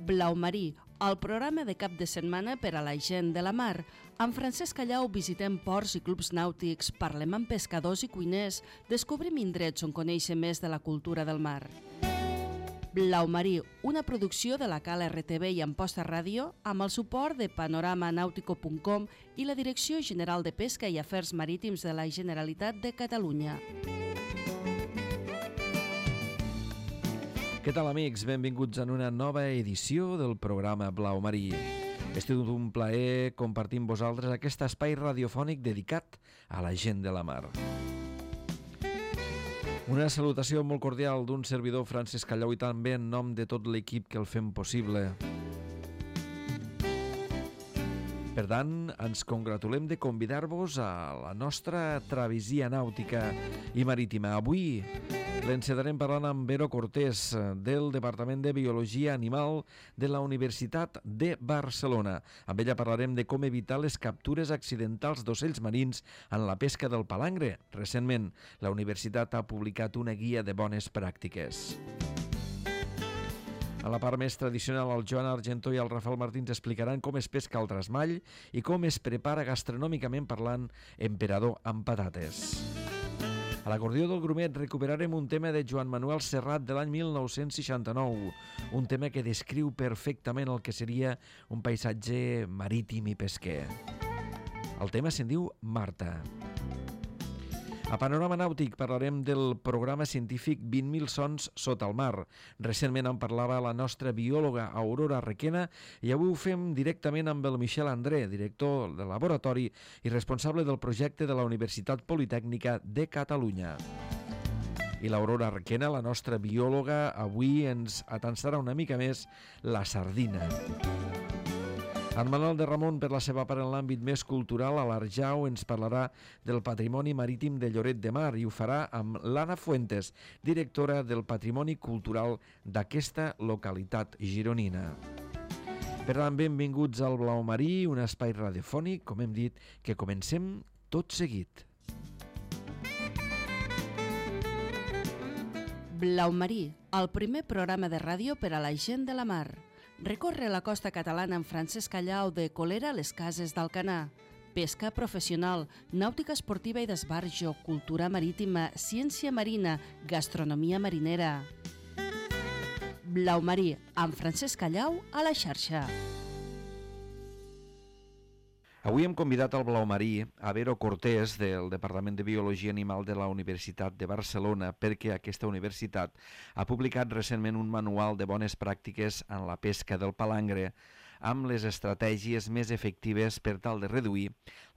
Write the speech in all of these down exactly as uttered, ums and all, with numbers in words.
Blau Marí, el programa de cap de setmana per a la gent de la mar. Amb Francesc Callau visitem ports i clubs nàutics, parlem amb pescadors i cuiners, descobrim indrets on conèixer més de la cultura del mar. Blau Marí, una producció de la Cala R T V i Amposta Ràdio, amb el suport de panorama nautico punt com i la Direcció General de Pesca i Afers Marítims de la Generalitat de Catalunya. Què tal, amics? Benvinguts en una nova edició del programa Blau Marí. És tot un plaer compartir amb vosaltres aquest espai radiofònic dedicat a la gent de la mar. Una salutació molt cordial d'un servidor, Francesc Callau, i també en nom de tot l'equip que el fem possible. Per tant, ens congratulem de convidar-vos a la nostra travessia nàutica i marítima. Avui l'encetarem parlant amb Vero Cortés, del Departament de Biologia Animal de la Universitat de Barcelona. Amb ella parlarem de com evitar les captures accidentals d'ocells marins en la pesca del palangre. Recentment, la universitat ha publicat una guia de bones pràctiques. A la part més tradicional, el Joan Argentó i el Rafael Martins explicaran com es pesca el trasmall i com es prepara gastronòmicament parlant emperador amb patates. A l'acordió del Grumet recuperarem un tema de Joan Manuel Serrat de l'any mil nou-cents seixanta-nou, un tema que descriu perfectament el que seria un paisatge marítim i pesquer. El tema se'n diu Marta. A Panorama Nàutic parlarem del programa científic vint mil sons sota el mar. Recentment en parlava la nostra biòloga Aurora Requena i avui ho fem directament amb el Michel André, director del laboratori i responsable del projecte de la Universitat Politècnica de Catalunya. I l'Aurora Requena, la nostra biòloga, avui ens atansarà una mica més la sardina. En Manuel de Ramon, per la seva part en l'àmbit més cultural, a l'Arjau ens parlarà del patrimoni marítim de Lloret de Mar i ho farà amb l'Anna Fuentes, directora del Patrimoni Cultural d'aquesta localitat gironina. Per tant, benvinguts al Blau Marí, un espai radiofònic, com hem dit, que comencem tot seguit. Blau Marí, el primer programa de ràdio per a la gent de la mar. Recorre la costa catalana amb Francesc Callau de Colera a les Cases d'Alcanar. Pesca professional, nàutica esportiva i d'esbarjo, cultura marítima, ciència marina, gastronomia marinera. Blau Marí, amb Francesc Callau a la xarxa. Avui hem convidat al Blau Marí a Vero Cortés del Departament de Biologia Animal de la Universitat de Barcelona perquè aquesta universitat ha publicat recentment un manual de bones pràctiques en la pesca del palangre amb les estratègies més efectives per tal de reduir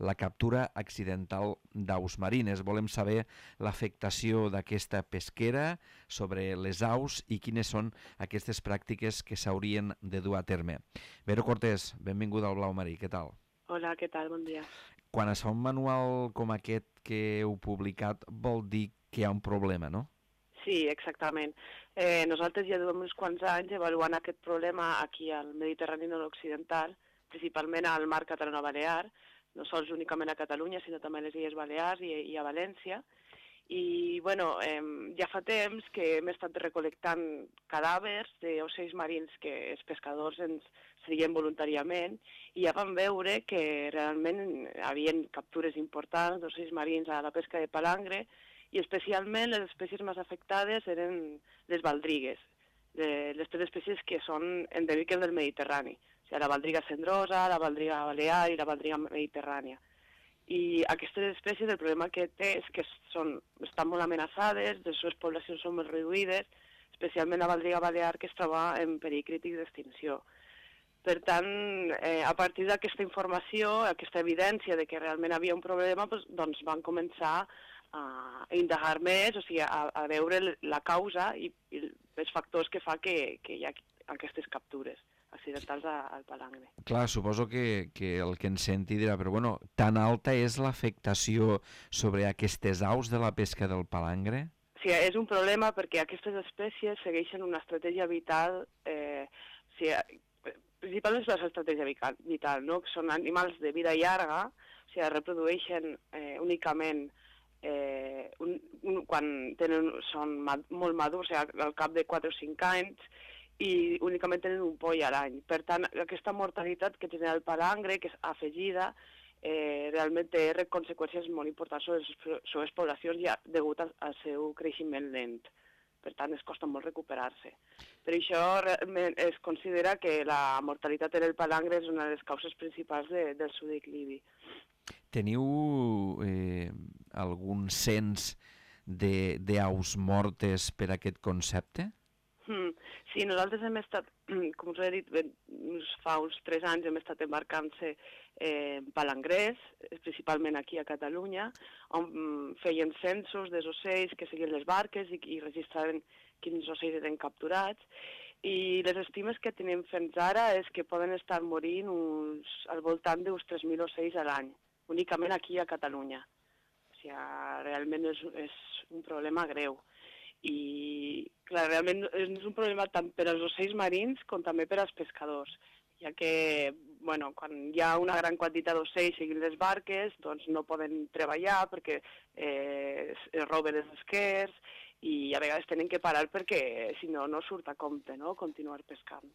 la captura accidental d'aus marines. Volem saber l'afectació d'aquesta pesquera sobre les aus i quines són aquestes pràctiques que s'haurien de dur a terme. Vero Cortés, benvinguda al Blau Marí, què tal? Hola, què tal? Bon dia. Quan es fa un manual com aquest que heu publicat, vol dir que hi ha un problema, no? Sí, exactament. Eh, nosaltres ja duem uns quants anys evaluant aquest problema aquí al Mediterrani nord-occidental, principalment al mar catalano-balear, no sols únicament a Catalunya, sinó també a les Illes Balears i, i a València. I, bueno, eh, ja fa temps que hem estat recolectant cadàvers d'ocells marins que els pescadors ens seguien voluntàriament i ja vam veure que realment hi havia captures importants d'ocells marins a la pesca de palangre i especialment les espècies més afectades eren les baldrigues, les tres espècies que són endèmiques del Mediterrani, o sigui, la baldriga cendrosa, la baldriga balear i la baldriga mediterrània. I aquestes espècies, el problema que té és que són, estan molt amenaçades, les seves poblacions són molt reduïdes, especialment la baldriga balear, que es troba en perill crític d'extinció. Per tant, eh, a partir d'aquesta informació, aquesta evidència de que realment havia un problema, doncs, doncs van començar a indagar més, o sigui, a, a veure la causa i, i els factors que fa que, que hi ha aquestes captures accidentals al palangre. Clar, suposo que, que el que ens senti dirà, però bueno, tan alta és l'afectació sobre aquestes aus de la pesca del palangre? Sí, és un problema perquè aquestes espècies segueixen una estratègia vital, eh, o sigui, principalment és l'estratègia vital, no? Que són animals de vida llarga, o sigui, reprodueixen eh, únicament eh, un, un, quan tenen, són mad, molt madurs, o sigui, al cap de quatre o cinc anys, i únicament tenen un poll a l'any. Per tant, aquesta mortalitat que tenen el palangre, que és afegida, eh, realment té conseqüències molt importants sobre les seves poblacions ja degut al seu creixement lent. Per tant, es costa molt recuperar-se. Per això realment es considera que la mortalitat en el palangre és una de les causes principals de, del seu declivi. Teniu eh, algun cens d'aus mortes per aquest concepte? Mm, sí, nosaltres hem estat, com us he dit, fa uns tres anys hem estat embarcant-se eh, palangrers, principalment aquí a Catalunya, on feien censos dels ocells que seguien les barques i, i registraven quins ocells eren capturats. I les estimes que tenim fins ara és que poden estar morint uns, al voltant d'uns tres mil ocells a l'any, únicament aquí a Catalunya. O sigui, realment és, és un problema greu. I, clar, realment és un problema tant per als ocells marins com també per als pescadors, ja que, bueno, quan hi ha una gran quantitat d'ocells seguint les barques, doncs no poden treballar perquè eh, es roben els esquers i a vegades tenen que parar perquè, si no, no surt a compte, no?, continuar pescant.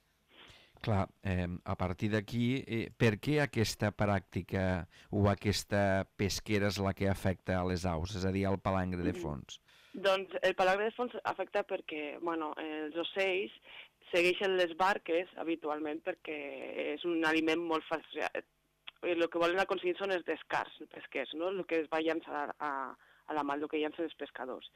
Clar, eh, a partir d'aquí, eh, per què aquesta pràctica o aquesta pesquera és la que afecta a les aus, és a dir, al palangre de fons? Doncs el palangre de fons afecta perquè, bueno, els ocells segueixen les barques habitualment perquè és un aliment molt fàcil. El que volen aconseguir són els descars pesquers, no?, el que es va llançar a, a la mà, el que llancen els pescadors.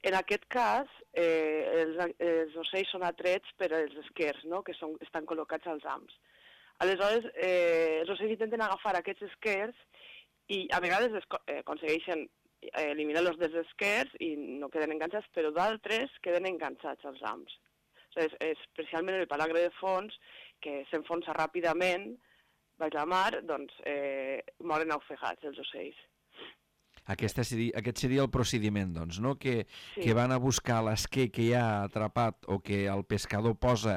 En aquest cas, eh, els, els ocells són atrets per als esquers, no?, que són, estan col·locats als hams. Aleshores, eh, els ocells intenten agafar aquests esquers i a vegades es, eh, aconsegueixen eliminar-los dels esquers i no queden enganxats, però d'altres queden enganxats als hams. O sigui, és, especialment el palangre de fons, que s'enfonsa ràpidament baix la mar, doncs eh, moren ofegats els ocells. Aquesta seria, aquest seria el procediment, doncs, no? Que, sí. que van a buscar l'esquer que hi ha atrapat o que el pescador posa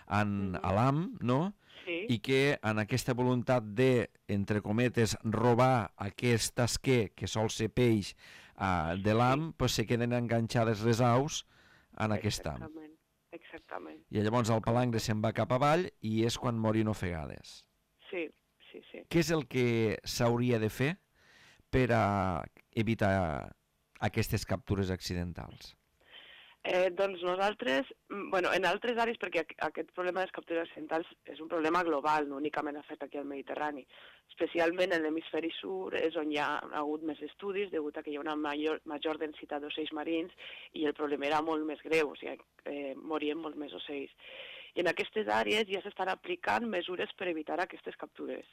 en, mm-hmm. a l'ham, no? Sí. I que en aquesta voluntat de, entre cometes, robar aquest esquer, que sol ser peix, uh, de l'ham, sí. pues se queden enganxades les aus en aquest ham. Exactament, exactament. I llavors el palangre se'n va cap avall i és quan morin ofegades. Sí, sí, sí. Què és el que s'hauria de fer per a evitar aquestes captures accidentals? Eh, doncs nosaltres, bueno, en altres àrees, perquè aquest problema de les captures accidentals és un problema global, no únicament afecta aquí al Mediterrani. Especialment en l'hemisferi sud és on hi ha hagut més estudis, degut a que hi ha una major, major densitat d'ocells marins i el problema era molt més greu, o sigui, eh, morien molt més ocells. I en aquestes àrees ja s'estan aplicant mesures per evitar aquestes captures.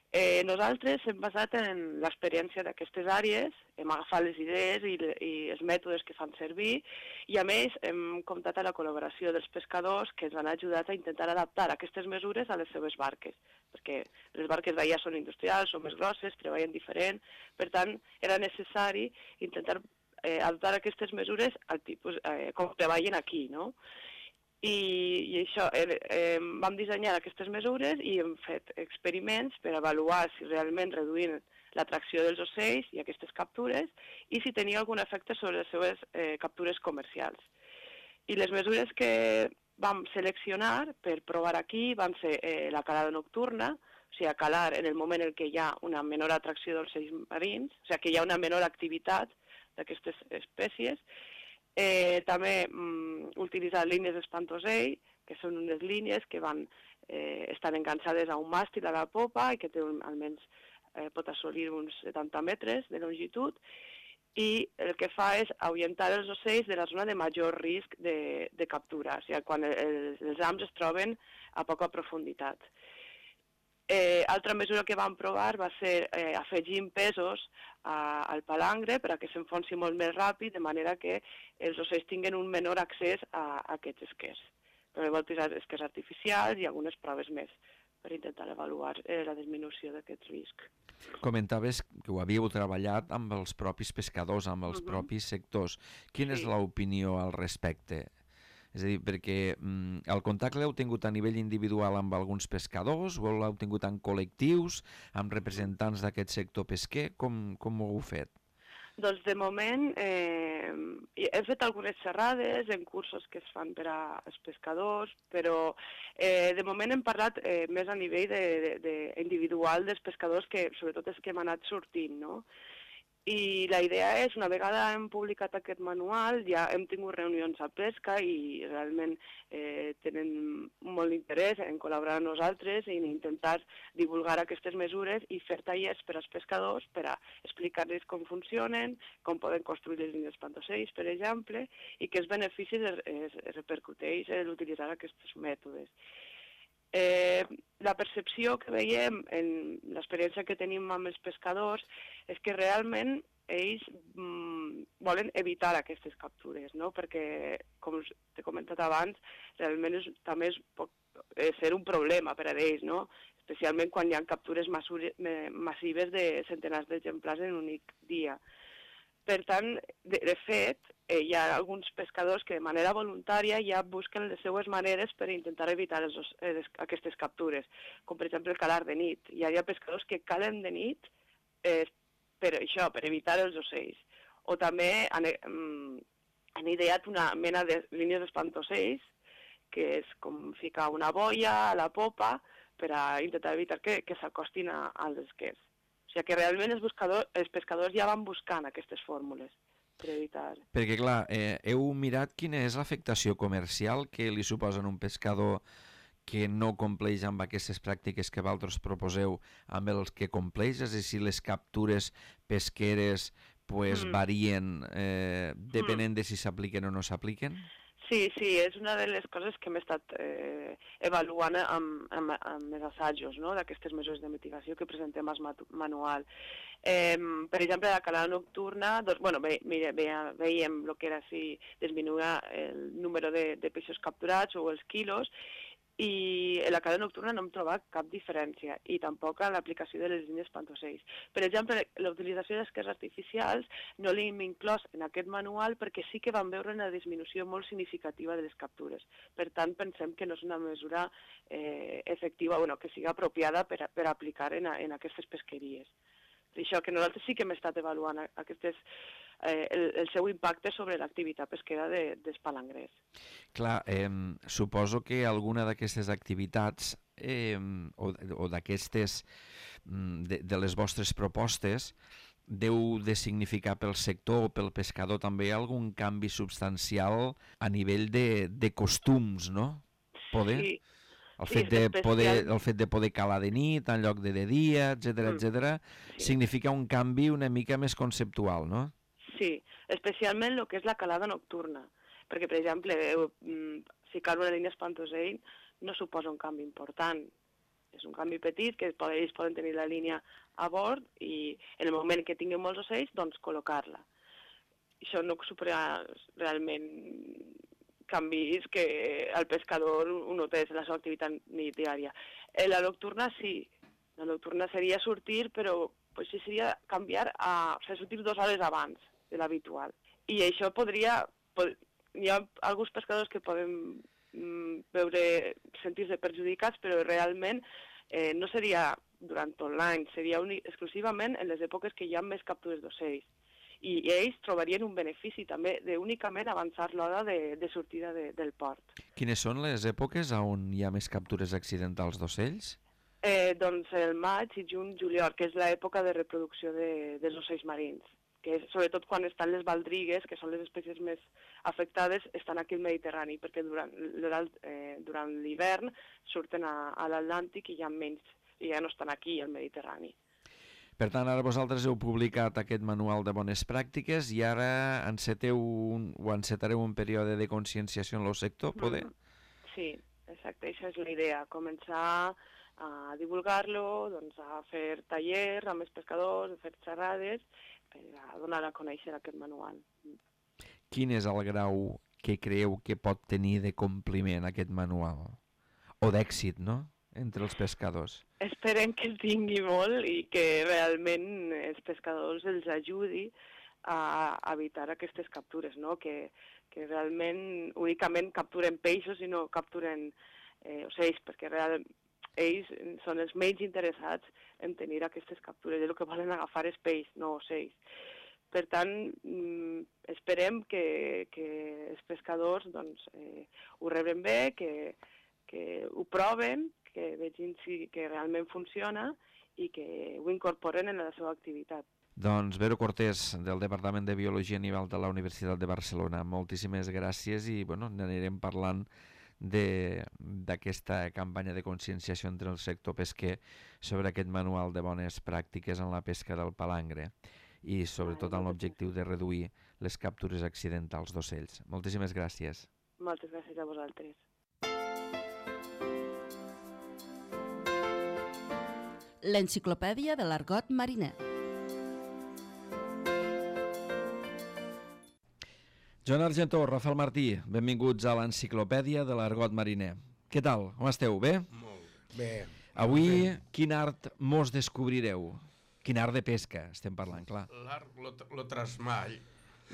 Eh, nosaltres hem basat en l'experiència d'aquestes àrees, hem agafat les idees i, i els mètodes que fan servir i a més hem comptat amb la col·laboració dels pescadors que ens han ajudat a intentar adaptar aquestes mesures a les seves barques, perquè les barques d'allà són industrials, són més grosses, treballen diferent, per tant era necessari intentar eh, adaptar aquestes mesures al tipus, eh, com treballen aquí, no? I, i això, eh, eh, vam dissenyar aquestes mesures i hem fet experiments per avaluar si realment reduïen l'atracció dels ocells i aquestes captures i si tenia algun efecte sobre les seves eh, captures comercials. I les mesures que vam seleccionar per provar aquí van ser eh, la calada nocturna, o sigui, calar en el moment en què hi ha una menor atracció d'ocells marins, o sigui, que hi ha una menor activitat d'aquestes espècies. Eh, també mm, utilitzar línies d'espantosell, que són unes línies que van eh, estar enganxades a un màstil a la popa i que té un, almenys eh, pot assolir uns setanta metres de longitud i el que fa és ahuyentar els ocells de la zona de major risc de, de captura, o sigui, quan els, els hams es troben a poca profunditat. Eh, altra mesura que vam provar va ser eh, afegir pesos a, al palangre per a que s'enfonsi molt més ràpid, de manera que els ocells tinguin un menor accés a, a aquests esquers. Però vam utilitzar esquers artificials i algunes proves més per intentar avaluar eh, la disminució d'aquest risc. Comentaves que ho havíeu treballat amb els propis pescadors, amb els uh-huh. propis sectors. Quina sí. és l'opinió al respecte? És a dir, perquè mm, el contacte l'heu tingut a nivell individual amb alguns pescadors o l'heu tingut en col·lectius, amb representants d'aquest sector pesquer? Com, com ho heu fet? Doncs de moment eh, hem fet algunes xerrades en cursos que es fan per als pescadors, però eh, de moment hem parlat eh, més a nivell de, de, de individual dels pescadors, que sobretot és que hem anat sortint, no? I la idea és, una vegada hem publicat aquest manual, ja hem tingut reunions a pesca i realment eh, tenen molt interès en col·laborar amb nosaltres i en intentar divulgar aquestes mesures i fer tallers per als pescadors per a explicar-los com funcionen, com poden construir les línies espantocells, per exemple, i quins beneficis es, es, es repercuteix l'utilitzar aquests mètodes. Eh, la percepció que veiem en l'experiència que tenim amb els pescadors és que realment ells mm, volen evitar aquestes captures, no? Perquè, com t'he comentat abans, realment és, també és, pot eh, ser un problema per a ells, no? Especialment quan hi ha captures massives de centenars d'exemplars en un únic dia. Per tant, de, de fet, eh, hi ha alguns pescadors que de manera voluntària ja busquen les seues maneres per intentar evitar els, les, aquestes captures, com per exemple el calar de nit. Hi ha, hi ha pescadors que calen de nit eh, per això, per evitar els ocells. O també han, mm, han ideat una mena de línies d'espantocells, que és com ficar una boia a la popa per a intentar evitar que, que s'acostin als esquers. O sigui que realment els, buscadors, els pescadors ja van buscant aquestes fórmules per evitar. Perquè, clar, eh, heu mirat quina és l'afectació comercial que li suposa a un pescador que no compleix amb aquestes pràctiques que vosaltres proposeu amb els que compleix, és a dir, si les captures pesqueres pues, mm. varien eh, depenent mm. de si s'apliquen o no s'apliquen? Sí, sí, és una de les coses que hem estat eh, avaluant amb, amb, amb els assajos, no?, d'aquestes mesures de mitigació que presentem al manual. Eh, per exemple, la calada nocturna, doncs, bueno, ve, mira, ve, veiem el que era si disminuïa el número de, de peixos capturats o els quilos, i a la calada nocturna no hem trobat cap diferència, i tampoc a l'aplicació de les línies espantocells. Per exemple, la utilització d'esquers artificials no l'hem inclòs en aquest manual perquè sí que vam veure una disminució molt significativa de les captures. Per tant, pensem que no és una mesura eh, efectiva, bueno, que sigui apropiada per, a, per aplicar en, a, en aquestes pesqueries. Per això que nosaltres sí que hem estat avaluant aquestes, eh, el, el seu impacte sobre l'activitat pesquera de, dels palangrers. Clar, eh, suposo que alguna d'aquestes activitats eh, o, o d'aquestes, de, de les vostres propostes, deu de significar pel sector o pel pescador també algun canvi substancial a nivell de, de costums, no? Poder? Sí. El fet, sí, de poder, el fet de poder calar de nit en lloc de de dia, etcètera, etcètera, sí. significa un canvi una mica més conceptual, no? Sí, especialment el que és la calada nocturna, perquè, per exemple, ficar una línia espantosell no suposa un canvi important. És un canvi petit, que ells poden tenir la línia a bord i en el moment que tinguin molts ocells, doncs col·locar-la. Això no suposa realment canvis que el pescador ho notés en la seva activitat diària. La nocturna sí, la nocturna seria sortir, però pues, sí seria canviar a, o sigui, sortir dues hores abans de l'habitual. I això podria, pod, hi ha alguns pescadors que poden mm, veure, sentir-se perjudicats, però realment eh, no seria durant tot l'any, seria únic, exclusivament en les èpoques que hi ha més captures d'ocells. I ells trobarien un benefici també d'únicament avançar l'hora de, de sortida de, del port. Quines són les èpoques on hi ha més captures accidentals d'ocells? Eh, doncs el maig i juny, juliol, que és l'època de reproducció de, dels ocells marins, que és, sobretot quan estan les baldrigues, que són les espècies més afectades, estan aquí al Mediterrani, perquè durant, eh, durant l'hivern surten a, a l'Atlàntic i ja menys, i ja no estan aquí al Mediterrani. Per tant, ara vosaltres heu publicat aquest manual de bones pràctiques i ara enceteu un, o encetareu un període de conscienciació en el sector, poder? Mm. Sí, exacte, això és la idea, començar a divulgar-lo, doncs a fer tallers amb els pescadors, a fer xerrades, per a donar a conèixer aquest manual. Quin és el grau que creieu que pot tenir de compliment aquest manual? O d'èxit, no?, entre els pescadors. Esperem que el tingui molt i que realment els pescadors els ajudi a evitar aquestes captures, no? Que, que realment únicament capturen peixos i no capturen eh, ocells, perquè realment ells són els menys interessats en tenir aquestes captures. El que volen agafar és peix, no ocells. Per tant, esperem que, que els pescadors doncs, eh, ho rebren bé, que, que ho proven, que vegin si, que realment funciona i que ho incorporen en la seva activitat. Doncs Vero Cortés, del Departament de Biologia Animal de la Universitat de Barcelona, moltíssimes gràcies i bueno, n'anirem parlant d'aquesta campanya de conscienciació entre el sector pesquer sobre aquest manual de bones pràctiques en la pesca del palangre i sobretot amb l'objectiu de reduir les captures accidentals d'ocells. Moltíssimes gràcies. Moltes gràcies a vosaltres. L'enciclopèdia de l'argot mariner. Joan Argentó, Rafael Martí, benvinguts a l'enciclopèdia de l'argot mariner. Què tal? Com esteu? Bé? Molt bé. Avui, quin art mos descobrireu? Quin art de pesca estem parlant, clar. L'art, lo, lo trasmall.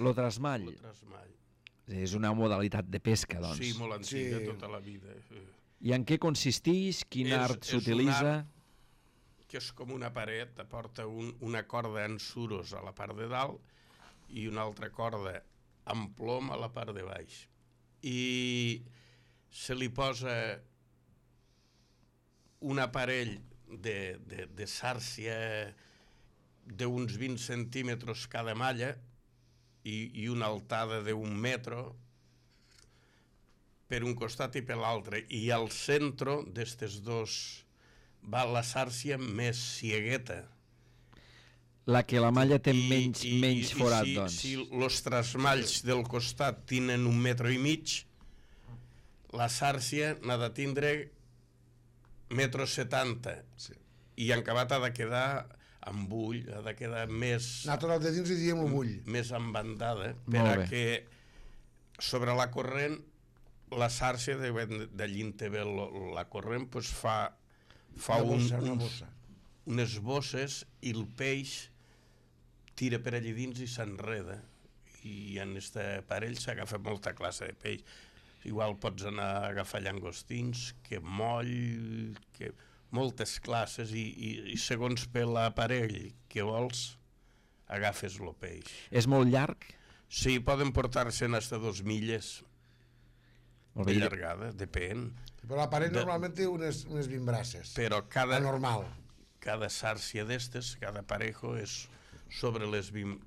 Lo trasmall. Lo trasmall. És una modalitat de pesca, doncs. Sí, molt antiga, Sí. tota la vida. I en què consisteix? Quin És- art és un s'utilitza? art que és com una paret, aporta un, una corda en suros a la part de dalt i una altra corda amb plom a la part de baix. I se li posa un aparell de, de, de sàrcia d'uns vint centímetres cada malla i, i una altada d'un metro per un costat i per l'altre. I al centre d'estes dos va la sàrcia més ciegueta. La que la malla té I- menys, i- menys i forat, si, doncs. Si els trasmalls del costat tenen un metro i mig, la sàrcia n'ha de tindre metro setanta. Sí. I en acabat ha de quedar amb ull, ha de quedar més, Nosaltres de dins li diem l'ull. més embandada, Molt per a bé. que sobre la corrent, la sàrcia, d'allí en té bé la corrent, pues fa, fa Una un, bossa, una uns, bossa. unes bosses i el peix tira per allí dins i s'enreda. I en aquest aparell s'agafa molta classe de peix. Igual pots anar a agafar llangostins, que moll, que moltes classes, i, i, i segons per l'aparell que vols, agafes el peix. És molt llarg? Sí, poden portar-se hasta dos milles Molt de bé. llargada, depèn. Però l'aparell De- normalment té unes, unes vimbraces. Però cada, La normal. cada sàrcia d'estes, cada parejo, és sobre les vint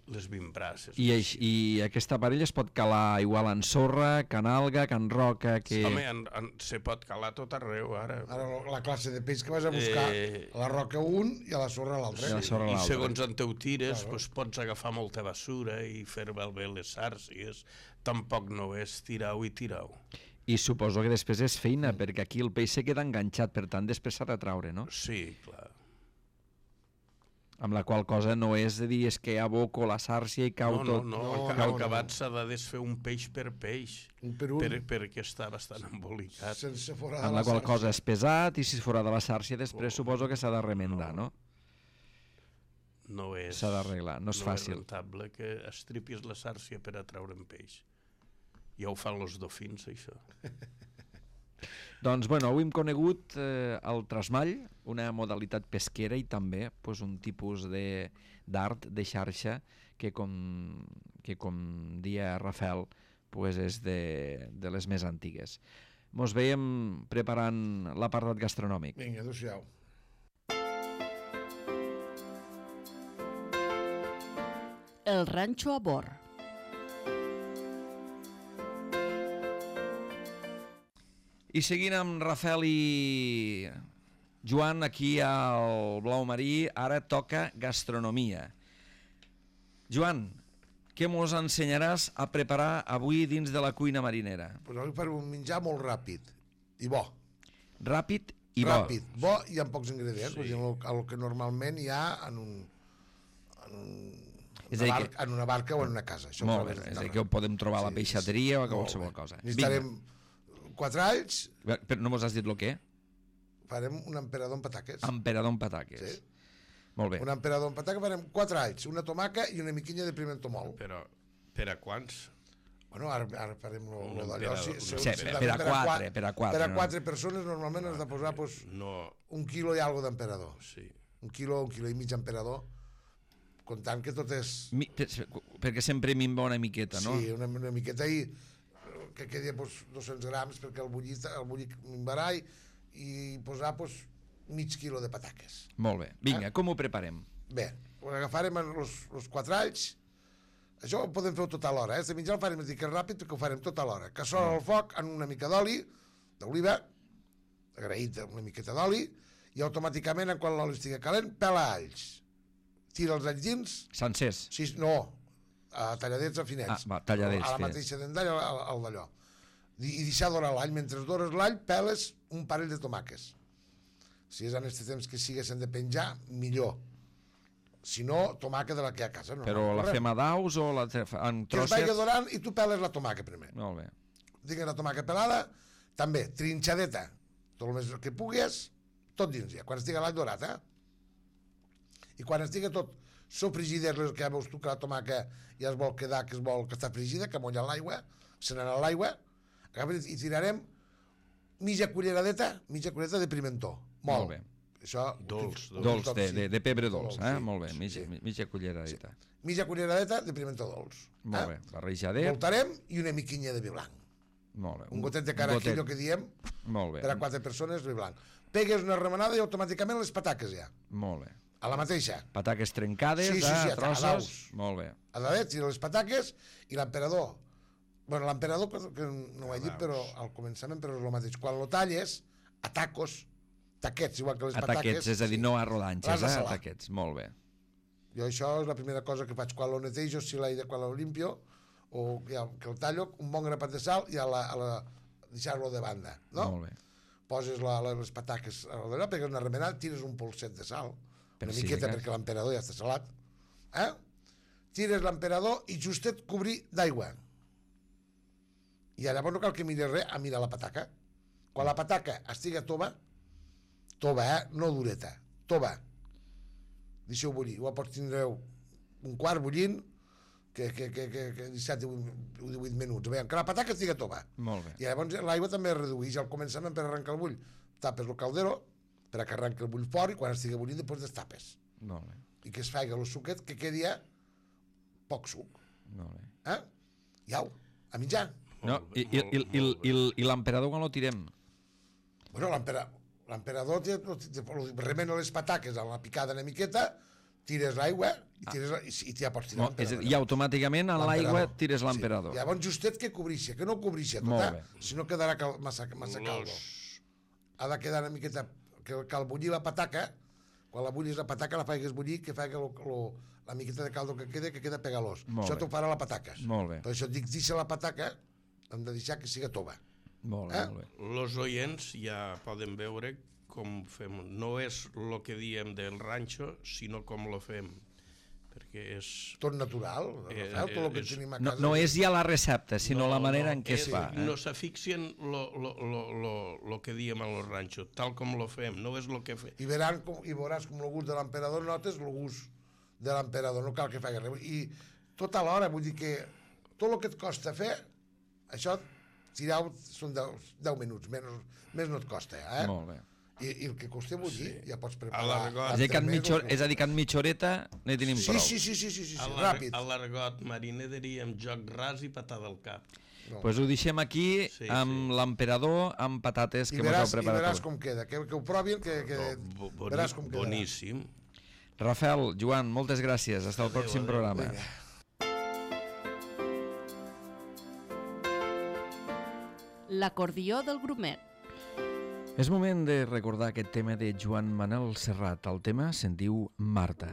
les vint braces. I, eix, I aquest aparell es pot calar igual en sorra, can alga, can roca... Que... Home, en, en, se pot calar tot arreu, ara. Ara la classe de peix que vas a buscar, Eh, a la roca un i a la sorra l'altre. I a la sorra I l'altre. segons en teu tires, Claro. pues, pots agafar molta basura i fer malbé les sàrcies. Tampoc no és tirau i tirau. I suposo que després és feina, perquè aquí el peix se queda enganxat, per tant després s'ha de traure, no? Sí, clar. Amb la qual cosa no és de dir és que aboco la sàrcia i cau No, no, tot. no, No, al, ca- no, al no. acabat s'ha de desfer un peix per peix, Un per un, per, perquè està bastant embolicat. sense fora de Amb la la qual xarxa. cosa és pesat i si és fora de la sàrcia després suposo que s'ha de remendar, no? No és... S'ha d'arreglar, no és fàcil. No és rentable que estripis la sàrcia per a treure un peix. Ja ho fan els dofins, això. Doncs, bueno, avui hem conegut eh, el trasmall, una modalitat pesquera i també pues, un tipus de- d'art de, de xarxa que, com, que, com dia Rafael, pues, és de, de les més antigues. Mos veiem preparant l'apartat gastronòmic. Vinga, adéu-siau. El ranxo a bord. I seguint amb Rafael i Joan aquí al Blau Marí, ara toca gastronomia. Joan, què mos ensenyaràs a preparar avui dins de la cuina marinera? Pues avui farem un menjar molt ràpid i bo. Ràpid i bo. Ràpid, bo i amb pocs ingredients, Sí. sí. el, el que normalment hi ha en un, en, un, És a una dir barca, en una barca o en una casa. Això ho Molt bé, trobes és a dir, d'arreu. que ho podem trobar a la Sí, peixateria o a molt qualsevol bé. cosa. Necessitarem quatre alls, Vinga. Però no mos has dit el què? farem un emperador amb pataques. Emperador amb pataques. Sí. Molt bé. Un emperador amb pataques farem quatre alls, una tomaca i una miquilla de pimento mòlt. Però per a quants? Bueno, ara, ara farem lo, Un lo d'allò. emperador, Si, un si, Sí, si per, també per a quatre, qua- per a quatre. per a no? quatre persones normalment has de posar pues, No, un quilo i algo d'emperador. sí. Un quilo, un quilo i mig d'emperador. comptant que tot és... Mi, perquè sempre minva una miqueta, no? Sí, una, una miqueta i que quedi pues, dos-cents grams perquè el bullir, el bullir minvarà i, i posar pues, mig quilo de pataques. Molt bé. Vinga, eh? com ho preparem? Bé, agafarem els quatre alls. Això ho podem fer tot a l'hora, eh? De menjar el farem una mica ràpid perquè ho farem tot a l'hora. Cassola al foc amb una mica d'oli, d'oliva, agraït una miqueta d'oli, i automàticament, quan l'oli estigui calent, pela alls. Tira els alls dins. Sencers? Sí, no, a talladets a finets. Ah, va, talladets. A la mateixa dendall, al, al d'allò. I deixar dorar l'all. Mentre dores l'all, peles un parell de tomàques. Si és en aquest temps que siguessin de penjar, millor. Si no, tomàquet de la que hi ha a casa. No, Però no, la fem a daus o la en trossets? Que es vagi dorant i tu peles la tomàquet primer. Molt bé. Digues la tomàquet pelada, també trinxadeta, tot el més que puguis, tot dins ja, quan estigui l'all dorat, eh? I quan estigui tot sofregida, que ja veus tu que la tomàquet ja es vol quedar, que es vol que està fregida, que molla l'aigua, se n'anà l'aigua, i tirarem mitja culleradeta, mitja culleradeta de pimentó. Molt, Molt bé. Això, dolç, dolç, dolç de, de, de pebre dolç, dolç, eh? sí, Molt bé, mitja, sí. mitja culleradeta. Sí. Mitja culleradeta de pimentó dolç. Molt eh? bé, barrejadet. Voltarem i una miquinya de vi blanc. Molt bé. Un gotet de caraquillo que diem, molt bé. per a quatre persones, vi blanc. Pegues una remenada i automàticament les pataques ja. Molt bé. A la mateixa. Pataques trencades, sí, sí, sí, a trossos. Molt bé. A dadet, tira les pataques i l'emperador. Bueno, l'emperador, que no ho he dit, però al començament, però és el mateix. Quan lo talles, a tacos, taquets, igual que les a pataques. Taquets, és a dir, no a rodanxes, eh? A taquets, molt bé. Jo això és la primera cosa que faig quan lo netejo, si la, quan lo limpio, o ja, que el tallo, un bon grapat de sal i a la, a la, deixar-lo de banda, no? Molt bé. Poses la, les pataques a l'allò, pegues una remenada, tires un polset de sal, Per una si miqueta de perquè l'emperador ja està salat, eh? Tires l'emperador i justet cobrir d'aigua. I llavors no cal que mires res a mirar la pataca. Quan la pataca estigui tova, tova, eh? No dureta, tova. Deixeu bullir, ho pots tindreu un quart bullint, que, que, que, que, que disset o divuit minuts. Veiem que la pataca estigui tova. Molt bé. I llavors l'aigua també es redueix al començament per arrencar el bull. Tapes el caldero per a que arrenqui el bull fort i quan estigui bullint després destapes. Molt bé. I que es faci el suquet que quedi poc suc. Molt bé. Eh? I au, a mitjà. No, i, i, i, i, i, i l'emperador quan lo tirem? Bueno, l'emperador remena les pataques a la picada una miqueta, tires l'aigua i, tires, i, i ja pots tirar no, l'emperador. I automàticament a l'aigua tires l'emperador. Sí. Llavors justet que cobrixa, que no cobrixa tot, eh? Si no quedarà cal, massa, massa caldo. Ha de quedar una miqueta, que cal bullir la pataca, quan la bullis la pataca la faigues bullir, que faig lo, lo, la miqueta de caldo que queda, que queda pegalós. Això t'ho farà la pataca. Molt bé. Per això dic, deixa la pataca, hem de deixar que siga tova. Molt bé, eh? molt bé. Los oients ja poden veure com fem. No és el que diem del ranxo, sinó com lo fem. Perquè és... Tot natural, eh, Rafael, tot el que és, tenim a no, casa. no és ja la recepta, sinó no, la manera no, en què és, es fa. Eh? No s'afixien lo, lo, lo, lo, lo que diem a los ranxos, tal com lo fem, no és lo que fem. I, veran com, i veuràs com el gust de l'emperador notes el gust de l'emperador, no cal que faci res. I tot alhora, vull dir que tot el que et costa fer, això tirar són deu minuts, menys, més no et costa, eh? Molt bé. I, i el que costa bullir, sí. Ja pots preparar. A l'argot. És a dir, que en mitja, és a dir, que en mitja horeta ne tenim sí, prou. Sí, sí, sí, sí, sí, sí, A ràpid. A l'argot mariner diríem joc ras i patada al cap. No. Pues ho deixem aquí sí, amb sí. l'emperador amb patates que veràs, mos heu preparat. I veràs com queda, que, que ho provin, que, que Bo, boni, veràs com queda. Boníssim. Rafael, Joan, moltes gràcies. Fins el pròxim adeu, programa. Vinga. L'acordió del grumet. És moment de recordar aquest tema de Joan Manel Serrat. El tema se'n diu Marta.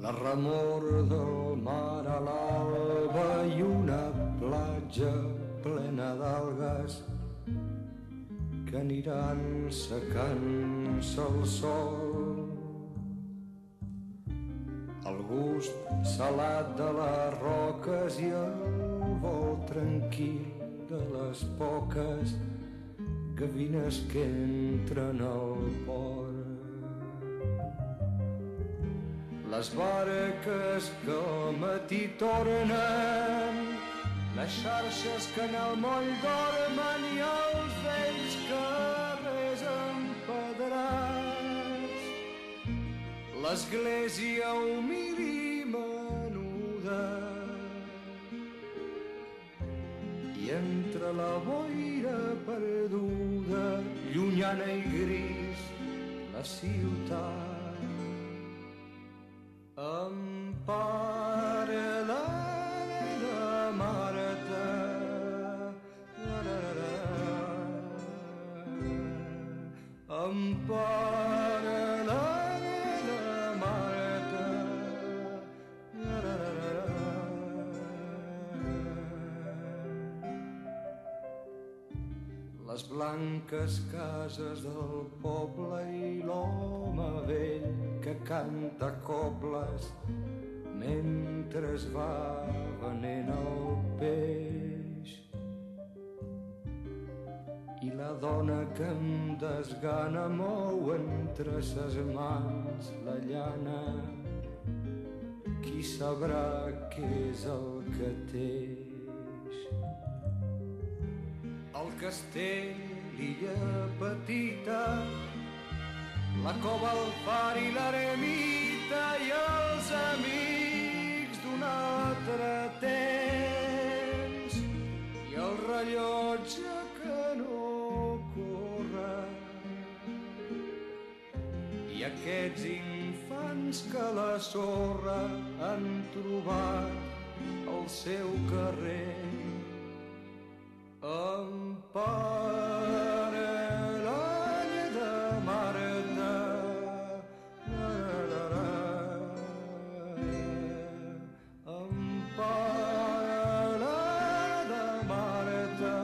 La remor del mar a l'alba i una platja plena d'algues que aniran secant-se el sol. salat de les roques i el vol tranquil de les poques gavines que entren al port. Les barques que al matí tornen, les xarxes que en el moll dormen i els vells carrers empedrats. L'església humil i menuda i entre la boira perduda, llunyana i gris, la ciutat. Empara la nena Marta, empara la nena Marta. Les blanques cases del poble i l'home vell que canta cobles mentre es va venent el peix. I la dona que em desgana mou entre ses mans la llana. Qui sabrà què és el que teix? El castell, l'illa petita, la cova, el far i l'eremita i els amics d'un altre temps i el rellotge que no corre i aquests infants que a la sorra han trobat el seu carrer. Empara l'olla de Marta, empara l'olla de Marta.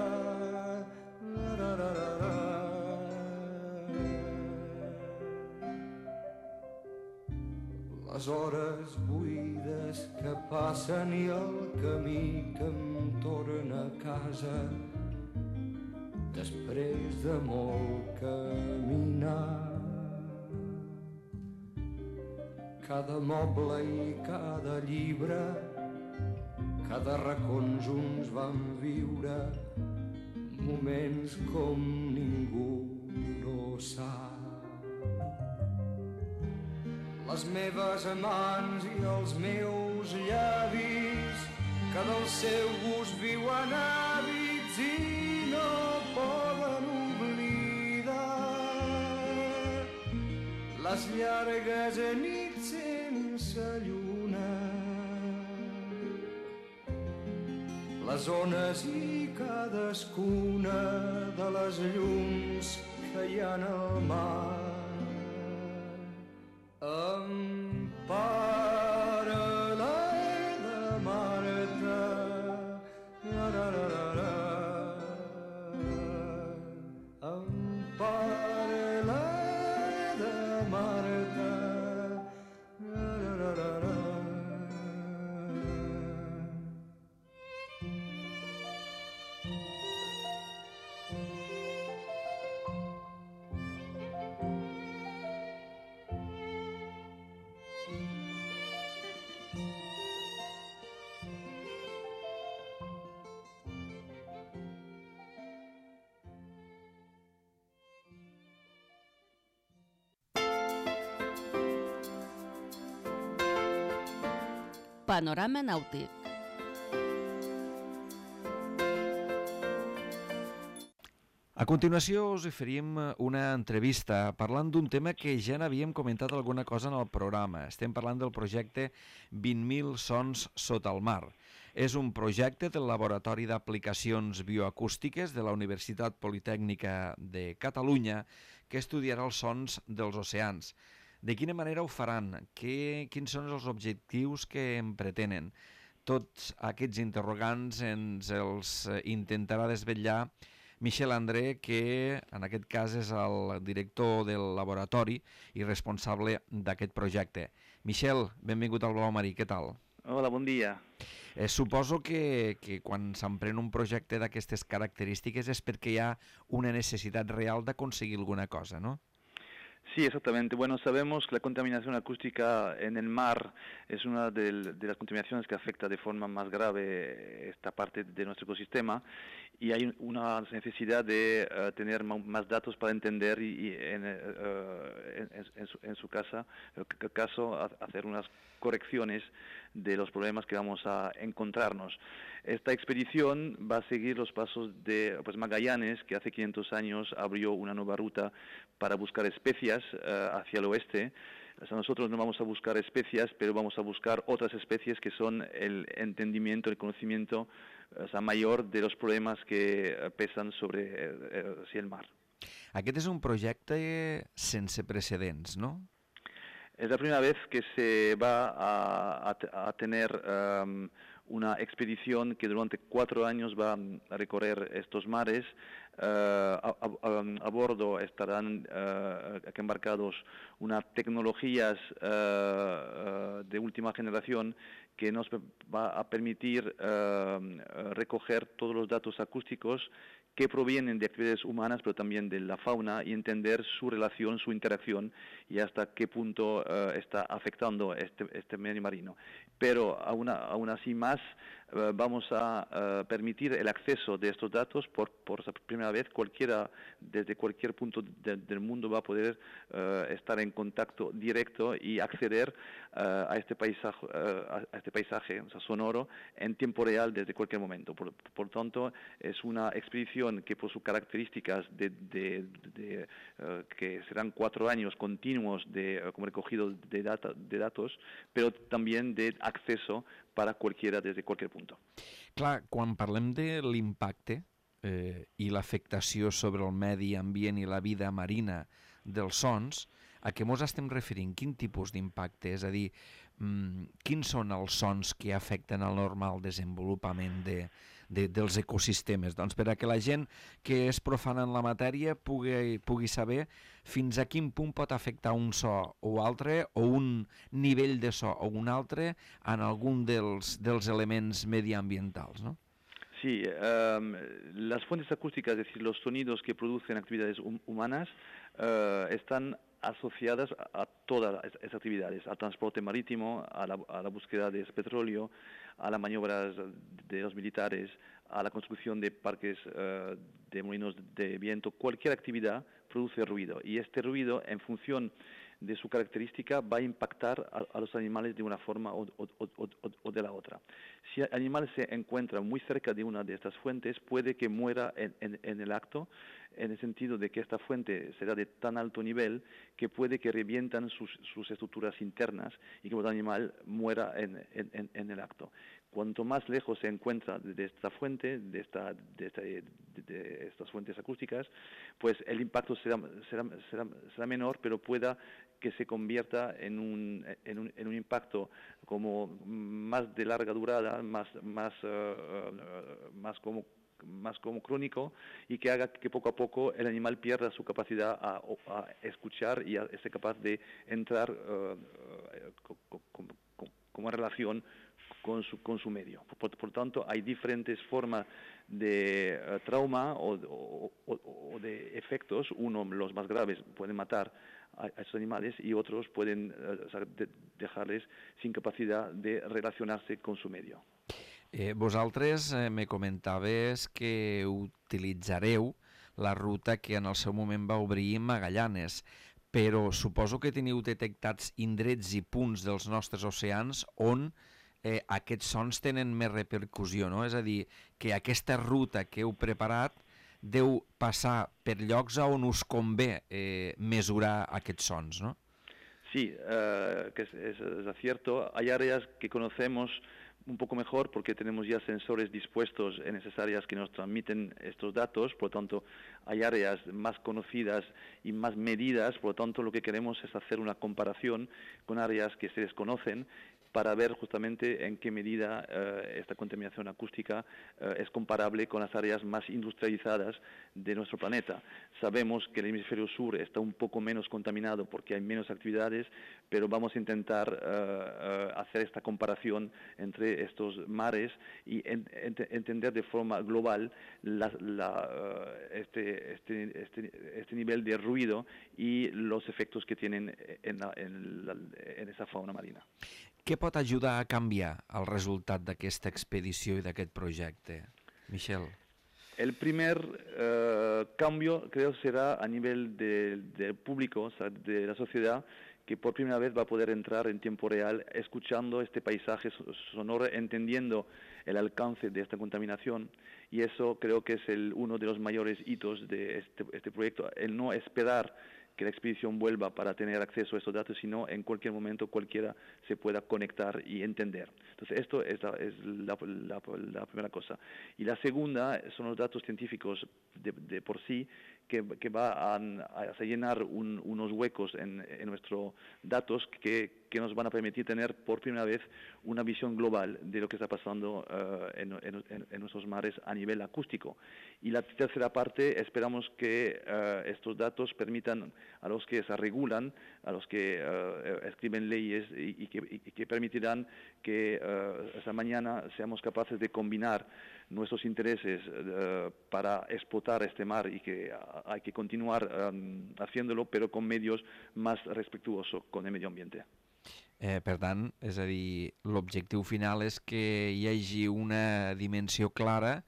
Les hores buides que passen i el camí que em torna a casa després de molt caminar. Cada moble i cada llibre, cada racons uns van viure moments com ningú no sap. Les meves mans i els meus llavis que del seu gust viuen hàbits i no poden oblidar les llargues nits sense lluna, les ones i cadascuna de les llums que hi ha al mar. Empara l'olla de Marta, empara l'olla de Marta. Panorama nàutic. A continuació us oferim una entrevista parlant d'un tema que ja n'havíem comentat alguna cosa en el programa. Estem parlant del projecte vint mil sons sota el mar. És un projecte del Laboratori d'Aplicacions Bioacústiques de la Universitat Politècnica de Catalunya que estudiarà els sons dels oceans. De quina manera ho faran? Què, quins són els objectius que en pretenen? Tots aquests interrogants ens els intentarà desvetllar Michel André, que en aquest cas és el director del laboratori i responsable d'aquest projecte. Michel, benvingut al Blau Marí, què tal? Hola, bon dia. Eh, suposo que, que quan s'emprèn un projecte d'aquestes característiques és perquè hi ha una necessitat real d'aconseguir alguna cosa, ¿no? Sí, exactamente. Bueno, sabemos que la contaminación acústica en el mar es una de, de las contaminaciones que afecta de forma más grave esta parte de nuestro ecosistema y hay una necesidad de uh, tener más datos para entender y, y en, uh, en, en, su, en su casa, en el caso, hacer unas correcciones de los problemas que vamos a encontrarnos. Esta expedición va a seguir los pasos de pues, Magallanes, que hace quinientos años abrió una nueva ruta para buscar especias uh, hacia el oeste. O sea, nosotros no vamos a buscar especias, pero vamos a buscar otras especies que son el entendimiento, el conocimiento o sea, mayor de los problemas que uh, pesan sobre uh, sí, el mar. Aquest és un projecte sense precedents, ¿no? Es la primera vez que se va a, a, a tener um, una expedición que durante cuatro años va a recorrer estos mares. Uh, a, a, a bordo estarán uh, embarcados unas tecnologías uh, uh, de última generación que nos va a permitir uh, recoger todos los datos acústicos que provienen de actividades humanas, pero también de la fauna, y entender su relación, su interacción, y hasta qué punto uh, está afectando este, este medio marino. Pero aún, aún así más, uh, vamos a uh, permitir el acceso de estos datos por, por primera vez. Cualquiera, desde cualquier punto de, del mundo va a poder uh, estar en contacto directo y acceder uh, a, este paisaje, uh, a este paisaje o sea, sonoro en tiempo real desde cualquier momento. Por, por tanto, es una expedición que por sus características de, de, de, uh, que serán cuatro años continuos de uh, como recogido de, data, de datos, pero también de acceso para cualquiera desde cualquier punto. Clar, quan parlem de l'impacte eh, i l'afectació sobre el medi ambient i la vida marina dels sons, a què mos estem referint? Quin tipus d'impacte? És a dir, mm, quins són els sons que afecten el normal desenvolupament de, de, dels ecosistemes? Doncs per a que la gent que és profana en la matèria pugui, pugui saber fins a quin punt pot afectar un so o altre, o un nivell de so o un altre en algun dels, dels elements mediambientals, ¿no? Sí, um, las fuentes acústicas, es decir, los sonidos que producen actividades hum humanas, uh, están asociadas a todas esas actividades, al transporte marítimo, a la, a la búsqueda de petróleo, a las maniobras de los militares, a la construcción de parques uh, de molinos de viento. Cualquier actividad produce ruido, y este ruido, en función de su característica, va a impactar a, a los animales de una forma o, o, o, o de la otra. Si el animal se encuentra muy cerca de una de estas fuentes, puede que muera en, en, en el acto, en el sentido de que esta fuente será de tan alto nivel que puede que revientan sus, sus estructuras internas y que el animal muera en, en, en el acto. Cuanto más lejos se encuentra de esta fuente, de, esta, de, esta, de, de estas fuentes acústicas, pues el impacto será, será, será, será menor, pero pueda que se convierta en un, en un, en un impacto como más de larga durada, más, más, uh, uh, más como más como crónico, y que haga que poco a poco el animal pierda su capacidad a, a escuchar y a ser capaz de entrar uh, uh, como, como relación con su, con su medio. Por, por tanto, hay diferentes formas de uh, trauma o, o, o, o de efectos. Uno, los más graves, pueden matar a, a estos animales, y otros pueden uh, o sea, de, dejarles sin capacidad de relacionarse con su medio. Eh, vosaltres eh, me comentaves que utilitzareu la ruta que en el seu moment va obrir Magallanes, però suposo que teniu detectats indrets i punts dels nostres oceans on eh, aquests sons tenen més repercussió, no? És a dir, que aquesta ruta que heu preparat deu passar per llocs on us convé eh, mesurar aquests sons, no? Sí, uh, que es, es, es cierto. Hay áreas que conocemos un poco mejor porque tenemos ya sensores dispuestos en esas áreas que nos transmiten estos datos. Por lo tanto, hay áreas más conocidas y más medidas. Por lo tanto, lo que queremos es hacer una comparación con áreas que se desconocen para ver justamente en qué medida eh, esta contaminación acústica eh, es comparable con las áreas más industrializadas de nuestro planeta. Sabemos que el hemisferio sur está un poco menos contaminado porque hay menos actividades, pero vamos a intentar uh, uh, hacer esta comparación entre estos mares y en, ent, entender de forma global la, la, uh, este, este, este, este nivel de ruido y los efectos que tienen en, la, en, la, en esa fauna marina. Què pot ajudar a canviar el resultat d'aquesta expedició i d'aquest projecte, Michel? El primer uh, cambio creo será a nivel del de público, o sea, de la sociedad, que por primera vez va a poder entrar en tiempo real escuchando este paisaje sonoro, entendiendo el alcance de esta contaminación, y eso creo que es el, uno de los mayores hitos de este, este proyecto, el no esperar que la expedición vuelva para tener acceso a estos datos, sino en cualquier momento cualquiera se pueda conectar y entender. Entonces esto es la, es la, la, la primera cosa. Y la segunda son los datos científicos de, de por sí, que, que va a, a llenar un, unos huecos en, en nuestros datos que, que nos van a permitir tener por primera vez una visión global de lo que está pasando uh, en, en, en nuestros mares a nivel acústico. Y la tercera parte, esperamos que uh, estos datos permitan a los que se regulan, a los que uh, escriben leyes y, y, que, y que permitirán que uh, esta mañana seamos capaces de combinar nuestros intereses uh, para explotar este mar y que uh, hay que continuar um, haciéndolo, pero con medios más respetuosos con el medio ambiente. Eh, per tant, és a dir, l'objectiu final és que hi hagi una dimensió clara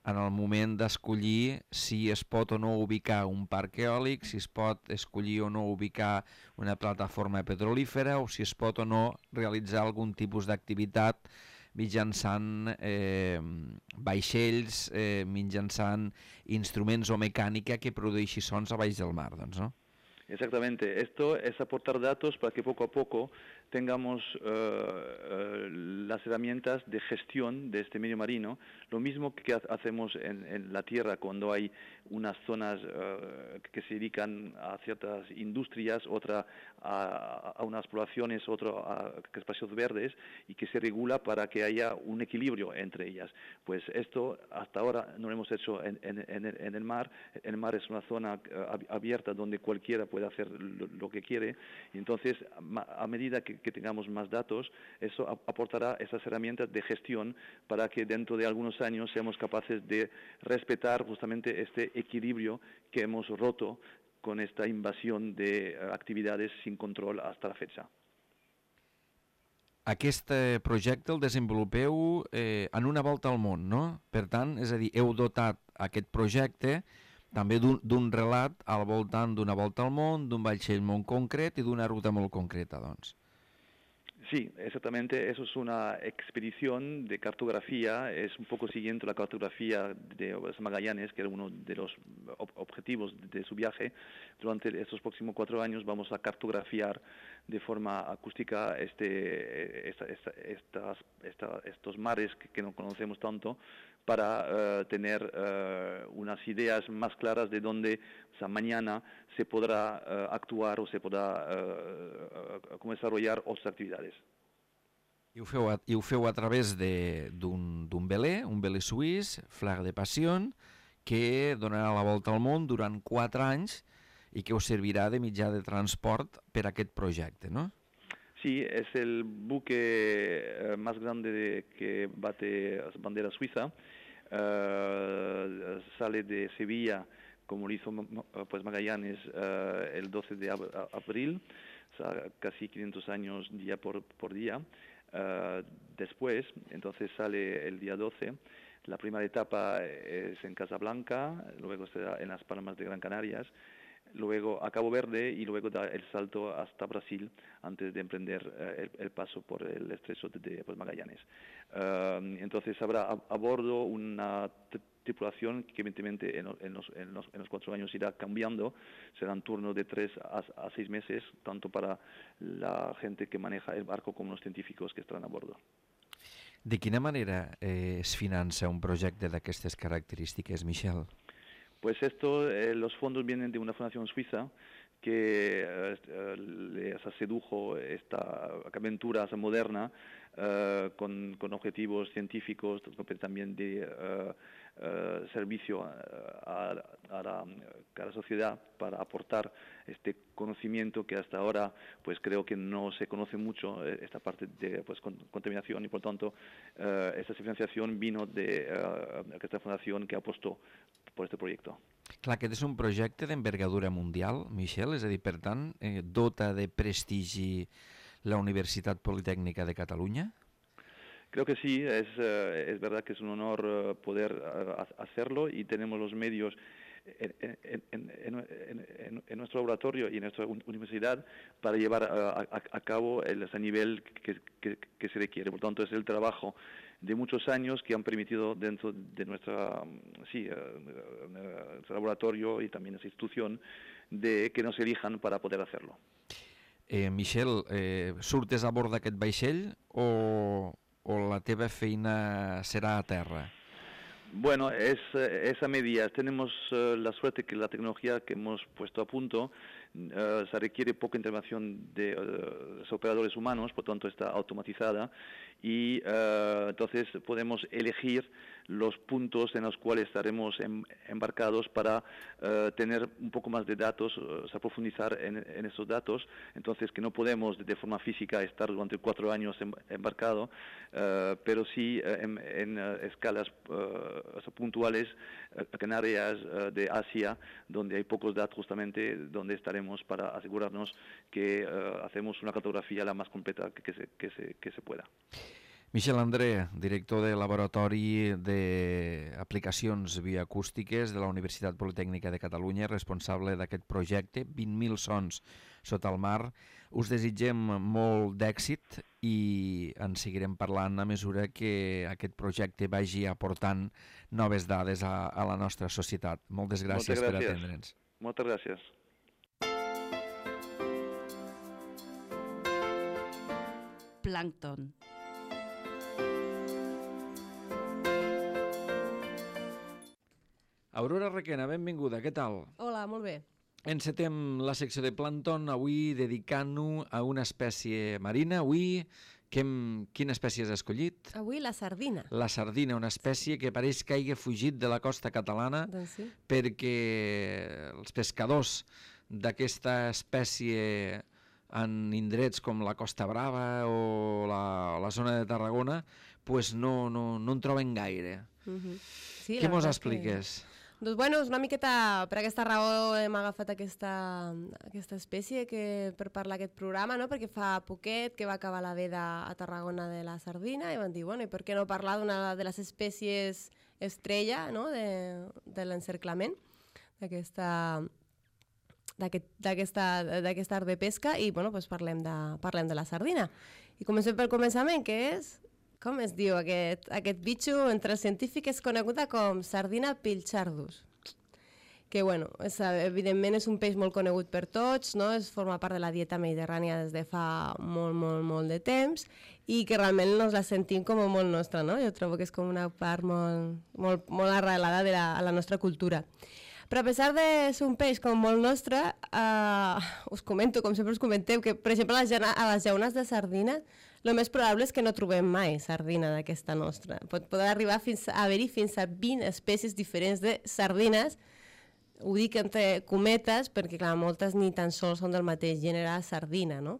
en el moment d'escollir si es pot o no ubicar un parc eòlic, si es pot escollir o no ubicar una plataforma petrolífera o si es pot o no realitzar algun tipus d'activitat mitjançant eh, vaixells, eh, mitjançant instruments o mecànica que produeixi sons a baix del mar, doncs, no? Exactamente. Esto es aportar datos para que poco a poco tengamos uh, uh, las herramientas de gestión de este medio marino, lo mismo que hacemos en, en la tierra cuando hay unas zonas uh, que se dedican a ciertas industrias, otra a, a unas poblaciones, otro a espacios verdes, y que se regula para que haya un equilibrio entre ellas. Pues esto hasta ahora no lo hemos hecho en, en, en, el, en el mar. El mar es una zona uh, abierta donde cualquiera puede hacer lo, lo que quiere, y entonces a medida que que tengamos más datos, eso aportará esas herramientas de gestión para que dentro de algunos años seamos capaces de respetar justamente este equilibrio que hemos roto con esta invasión de actividades sin control hasta la fecha. Aquest projecte el desenvolupeu eh, en una volta al món, no? Per tant, és a dir, heu dotat aquest projecte també d'un relat al voltant d'una volta al món, d'un vaixell molt concret i d'una ruta molt concreta, doncs. Sí, exactamente. Eso es una expedición de cartografía, es un poco siguiente la cartografía de Magallanes, que era uno de los ob objetivos de su viaje. Durante estos próximos cuatro años vamos a cartografiar de forma acústica este, esta, esta, estas, esta, estos mares que, que no conocemos tanto, para uh, tener uh, unas ideas más claras de dónde, o sea, mañana se podrá uh, actuar o se podrá uh, uh, desarrollar otras actividades. I ho feu a, i ho feu a través d'un velé, un velé suís, Flag de Passion, que donarà la volta al món durant quatre anys i que us servirà de mitjà de transport per a aquest projecte, no? Sí, es el buque más grande de, que bate bandera suiza. Uh, sale de Sevilla, como lo hizo pues Magallanes, uh, el doce de abril, o sea, casi quinientos años día por, por día. Uh, después, entonces sale el día doce. La primera etapa es en Casablanca, luego será en las Palmas de Gran Canarias, luego a Cabo Verde y luego da el salto hasta Brasil antes de emprender uh, el, el paso por el estrecho de, de pues, Magallanes. Uh, entonces habrá a, a bordo una tripulación que evidentemente en, en, los, en, los, en los cuatro años irá cambiando, serán turnos de tres a, a seis meses, tanto para la gente que maneja el barco como los científicos que estarán a bordo. De quina manera eh, es finança un projecte d'aquestes característiques, Michel? Pues esto, eh, los fondos vienen de una fundación suiza que eh, les sedujo esta aventura moderna eh, con, con objetivos científicos, también de eh, eh, servicio a, a, a, la, a la sociedad para aportar este conocimiento que hasta ahora pues creo que no se conoce mucho, esta parte de pues, con, contaminación, y por tanto eh, esta financiación vino de eh, esta fundación que apostó por este proyecto. Clar, aquest és un projecte d'envergadura mundial, Michel, és a dir, per tant, eh, dota de prestigi la Universitat Politécnica de Cataluña? Creo que sí, es, eh, es verdad que es un honor uh, poder uh, hacerlo, y tenemos los medios en, en, en, en, en, en nuestro laboratorio y en nuestra universidad para llevar uh, a, a cabo el, ese nivel que, que, que se requiere. Por tanto, es el trabajo de muchos años que han permitido dentro de nuestra, sí, uh, nuestro laboratorio y también esa institución de que nos elijan para poder hacerlo. Eh, Michel, eh, surtes a bord d'aquest vaixell o, o la teva feina serà a terra? Bueno, es, es a medias. Tenemos uh, la suerte que la tecnología que hemos puesto a punto uh, se requiere poca intervención de uh, los operadores humanos, por tanto está automatizada, y uh, entonces podemos elegir los puntos en los cuales estaremos em, embarcados para uh, tener un poco más de datos, o sea, profundizar en, en esos datos. Entonces, que no podemos de forma física estar durante cuatro años em, embarcado, uh, pero sí uh, en, en uh, escalas uh, puntuales, uh, en áreas uh, de Asia, donde hay pocos datos, justamente donde estaremos para asegurarnos que uh, hacemos una cartografía la más completa que, que, se, que, se, que se pueda. Michel André, director del Laboratori d'Aplicacions Bioacústiques de la Universitat Politécnica de Catalunya, responsable d'aquest projecte, vint mil sons sota el mar. Us desitgem molt d'èxit i en seguirem parlant a mesura que aquest projecte vagi aportant noves dades a, a la nostra societat. Moltes gràcies, gràcies. per atendre'ns. Moltes gràcies. Plàncton. Aurora Requena, benvinguda, què tal? Hola, molt bé. Encetem la secció de plàncton, avui dedicant-nos a una espècie marina. Avui, que hem, quina espècie has escollit? Avui la sardina. La sardina, una espècie que pareix que hagi fugit de la costa catalana, doncs sí, perquè els pescadors d'aquesta espècie en indrets com la Costa Brava o la, la zona de Tarragona pues no, no, no en troben gaire. uh-huh. sí, Què mos expliques? Que... Doncs bueno, és una miqueta per aquesta raó hem agafat aquesta, aquesta espècie que, per parlar aquest programa, no? Perquè fa poquet que va acabar la veda a Tarragona de la sardina i van dir, bueno, i per què no parlar d'una de les espècies estrella, no? de, de l'encerclament d'aquesta d'aquest art de pesca, i bueno, doncs parlem, de, parlem de la sardina. I comencem pel començament, que és... Com es diu aquest, aquest bitxo? Entre els científics és coneguda com sardina pilchardus, que bueno, és, evidentment és un peix molt conegut per tots, no? Es forma part de la dieta mediterrània des de fa molt, molt, molt de temps, i que realment nos la sentim com molt nostra, no? Jo trobo que és com una part molt, molt, molt arrelada de la, a la nostra cultura. Però a pesar de ser un peix com molt nostre, eh, us comento, com sempre us comenteu, que per exemple a les, a les llaunes de sardina el més probable és que no trobem mai sardina d'aquesta nostra. Pot poder arribar fins a haver-hi fins a vint espècies diferents de sardines. Ho dic entre cometes perquè, clar, moltes ni tan sols són del mateix gènere sardina, no?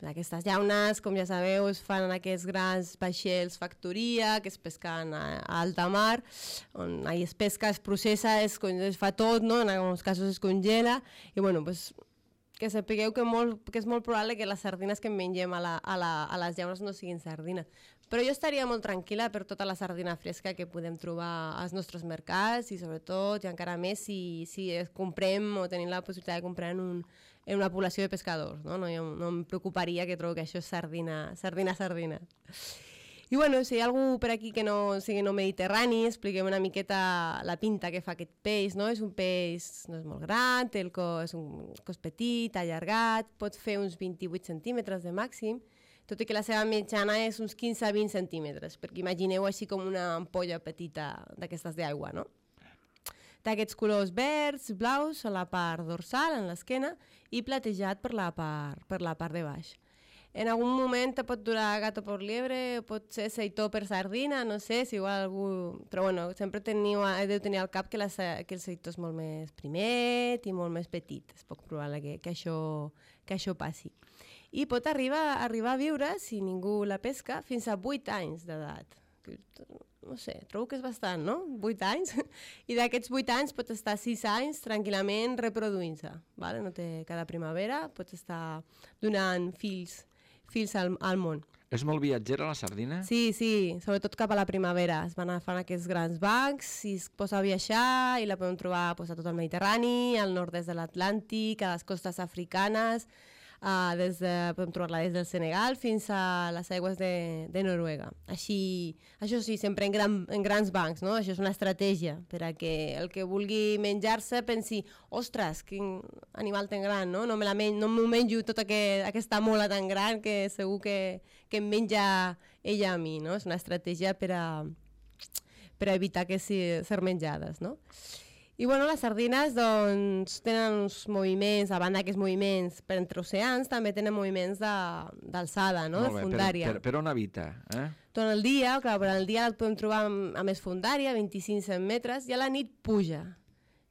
Aquestes llaunes, com ja sabeu, es fan en aquests grans vaixells factoria que es pesquen a, a alta mar, on ahí es pesca, es processa, es, es fa tot, no? En alguns casos es congela, i bueno, pues, que sapigueu que, molt, que és molt probable que les sardines que mengem a, la, a, la, a les llaunes no siguin sardina. Però jo estaria molt tranquil·la per tota la sardina fresca que podem trobar als nostres mercats, i sobretot, i encara més, si, si comprem o tenim la possibilitat de comprar en, un, en una població de pescadors. No, no, jo no em preocuparia, que trobo que això és sardina, sardina, sardina. I bueno, si hi ha algú per aquí que no sigui no mediterrani, expliquem una miqueta la pinta que fa aquest peix, no? És un peix, no és molt gran, té el cos, és un cos petit, allargat, pot fer uns vint-i-vuit centímetres de màxim, tot i que la seva mitjana és uns quinze a vint centímetres, perquè imagineu així com una ampolla petita d'aquestes d'aigua, no? Té aquests colors verds, blaus a la part dorsal, en l'esquena, i platejat per la part, per la part de baix. En algun moment te pot durar gato por liebre, pot ser seitó per sardina, no sé, si igual algú... Però bueno, sempre teniu, he de tenir al cap que, la, que el seitó és molt més primet i molt més petit. És poc probable que, que, això, que això passi. I pot arribar, arribar a viure, si ningú la pesca, fins a vuit anys d'edat. No sé, trobo que és bastant, no? vuit anys. I d'aquests vuit anys pot estar sis anys tranquil·lament reproduint-se. Vale? No té, cada primavera pot estar donant fills, fills al, al món. És molt viatgera la sardina? Sí, sí, sobretot cap a la primavera. Es van agafant aquests grans bancs i es posa a viatjar i la podem trobar pues, a tot el Mediterrani, al nord-est de l'Atlàntic, a les costes africanes, Uh, des de, podem trobar-la des del Senegal fins a les aigües de, de Noruega. Així, això sí, sempre en, gran, en grans bancs, no? Això és una estratègia per a que el que vulgui menjar-se pensi, ostres, quin animal tan gran, no? No me la men no m'ho menjo tota que, aquesta mola tan gran que segur que, que em menja ella a mi, no? És una estratègia per a, per a evitar que si, ser menjades, no? I bueno, les sardines doncs, tenen uns moviments, a banda d'aquests moviments per entre oceans, també tenen moviments d'alçada, no? De fundària. Per, per, per on habita? Eh? Tot el dia, clar, per al dia el podem trobar a més fundària, vint-i-cinc metres, i a la nit puja.